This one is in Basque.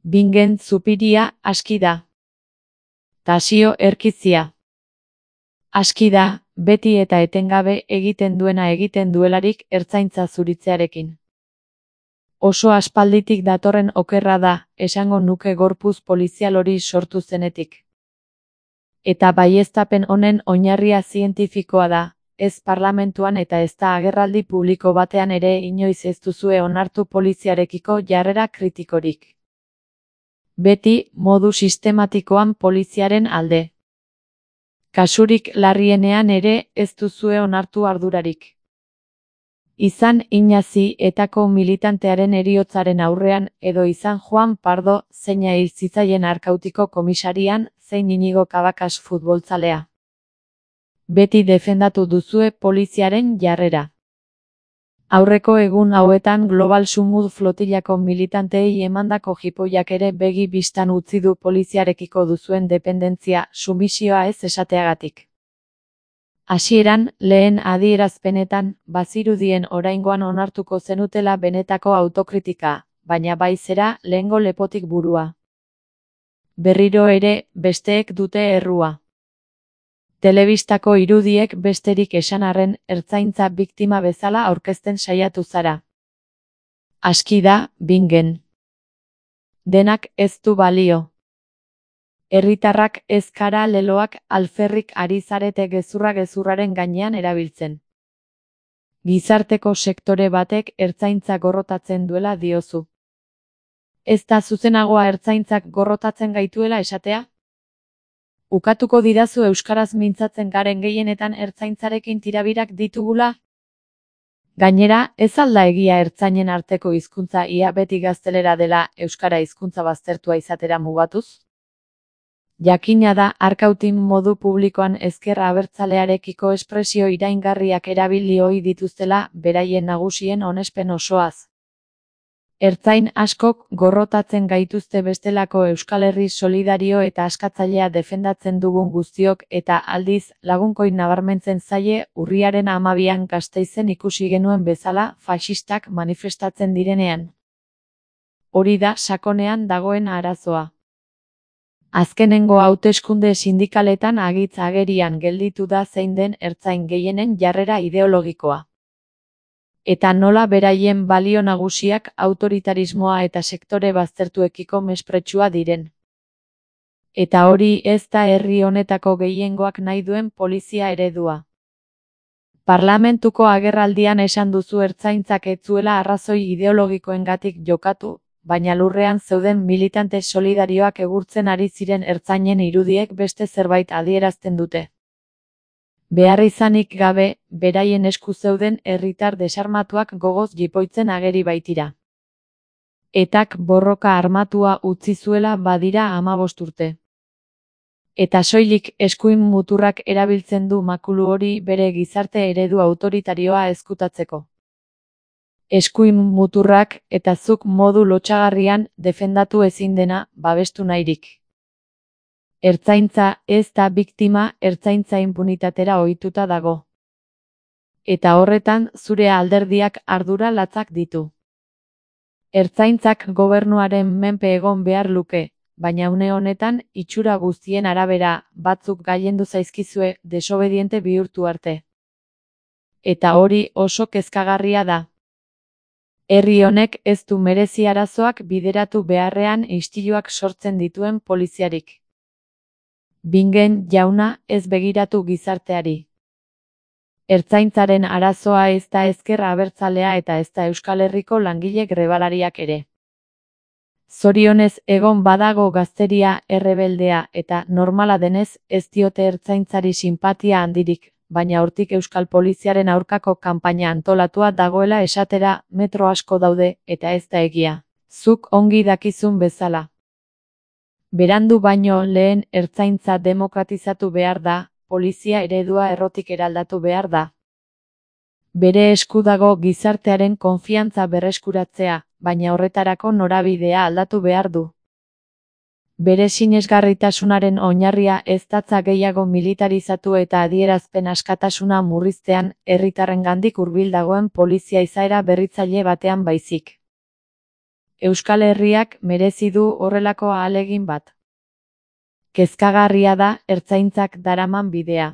Bingen zupiria aski da. Tasio erkizia. Aski da, beti eta etengabe egiten duena egiten duelarik ertzaintza zuritzearekin. Oso aspalditik datorren okerra da, esango nuke gorpuz polizial hori sortu zenetik. Eta baieztapen honen oinarria zientifikoa da, ez parlamentuan eta ez da agerraldi publiko batean ere inoiz ez duzue onartu poliziarekiko jarrera kritikorik. Beti, modu sistematikoan poliziaren alde. Kasurik larrienean ere ez duzue onartu ardurarik. Izan Inazi etako militantearen heriotzaren aurrean edo izan Juan Pardo zeina hil zitzaien Arkautiko komisarian zein Inigo Cabacas futbolzalea. Beti defendatu duzue poliziaren jarrera. Aurreko egun hauetan Global Sumud flotillako militanteei emandako jipoiak ere begi bistan utzi du poliziarekiko duzuen dependentzia, sumisioa ez esateagatik. Hasieran, lehen adierazpenetan, bazirudien oraingoan onartuko zenutela benetako autokritika, baina bai zera lehengo lepotik burua. Berriro ere, besteek dute errua. Telebistako irudiek besterik esan arren ertzaintza biktima bezala aurkezten saiatu zara. Aski da, Bingen. Denak ez du balio. Herritarrak ez kara leloak alferrik ari zarete gezurraren gainean erabiltzen. Gizarteko sektore batek ertzaintza gorrotatzen duela diozu. Ez da zuzenagoa ertzaintzak gorrotatzen gaituela esatea? Ukatuko didazu euskaraz mintzatzen garen gehienetan ertzaintzarekin tirabirak ditugula? Gainera, ez alda egia ertzainen arteko hizkuntza ia beti gaztelera dela euskara hizkuntza baztertua izatera mugatuz? Jakina da Arkautin modu publikoan ezker abertzalearekiko espresio iraingarriak erabili ohi dituztela beraien nagusien onespen osoaz. Ertzain askok gorrotatzen gaituzte bestelako Euskal Herri solidario eta askatzailea defendatzen dugun guztiok eta aldiz lagunkoin nabarmentzen zaie urriaren 12an Gasteizen ikusi genuen bezala faxistak manifestatzen direnean. Hori da sakonean dagoen arazoa. Azkenengo hauteskunde sindikaletan agitz agerian gelditu da zein den ertzain gehienen jarrera ideologikoa. Eta nola beraien balio nagusiak autoritarismoa eta sektore baztertuekiko mespretxua diren. Eta hori ez da herri honetako gehiengoak nahi duen polizia eredua. Parlamentuko agerraldian esan duzu ertzaintzak ez zuela arrazoi ideologikoengatik jokatu, baina lurrean zeuden militante solidarioak egurtzen ari ziren ertzainen irudiek beste zerbait adierazten dute. Beharrizanik gabe, beraien esku zeuden herritar desarmatuak gogoz jipoitzen ageri baitira. Etak borroka armatua utzi zuela badira 15 urte. Eta soilik eskuin muturrak erabiltzen du makulu hori bere gizarte eredu autoritarioa ezkutatzeko. Eskuin muturrak eta zuk modu lotsagarrian defendatu ezin dena babestu nahirik. Ertzaintza ez da biktima, ertzaintza inpunitatera ohituta dago. Eta horretan zure alderdiak ardura latzak ditu. Ertzaintzak gobernuaren menpe egon behar luke, baina une honetan itxura guztien arabera batzuk gailendu zaizkizue desobediente bihurtu arte. Eta hori oso kezkagarria da. Herri honek ez du merezi arazoak bideratu beharrean istiluak sortzen dituen poliziarik. Bingen jauna ez begiratu gizarteari. Ertzaintzaren arazoa ez da ezker abertzalea eta ez da Euskal Herriko langile grebalariak ere. Zorionez egon badago gazteria errebeldea eta normala denez ez diote ertzaintzari sinpatia handirik, baina hortik Euskal Poliziaren aurkako kanpaina antolatua dagoela esatera metro asko daude eta ez da egia. Zuk ongi dakizun bezala. Berandu baino lehen ertzaintza demokratizatu behar da, polizia eredua errotik eraldatu behar da. Bere esku dago gizartearen konfiantza berreskuratzea, baina horretarako norabidea aldatu behar du. Bere sinesgarritasunaren oinarria ez datza gehiago militarizatu eta adierazpen askatasuna murriztean, herritarrengandik hurbil dagoen polizia izaera berritzaile batean baizik. Euskal Herriak merezi du horrelako ahalegin bat. Kezkagarria da ertzaintzak daraman bidea.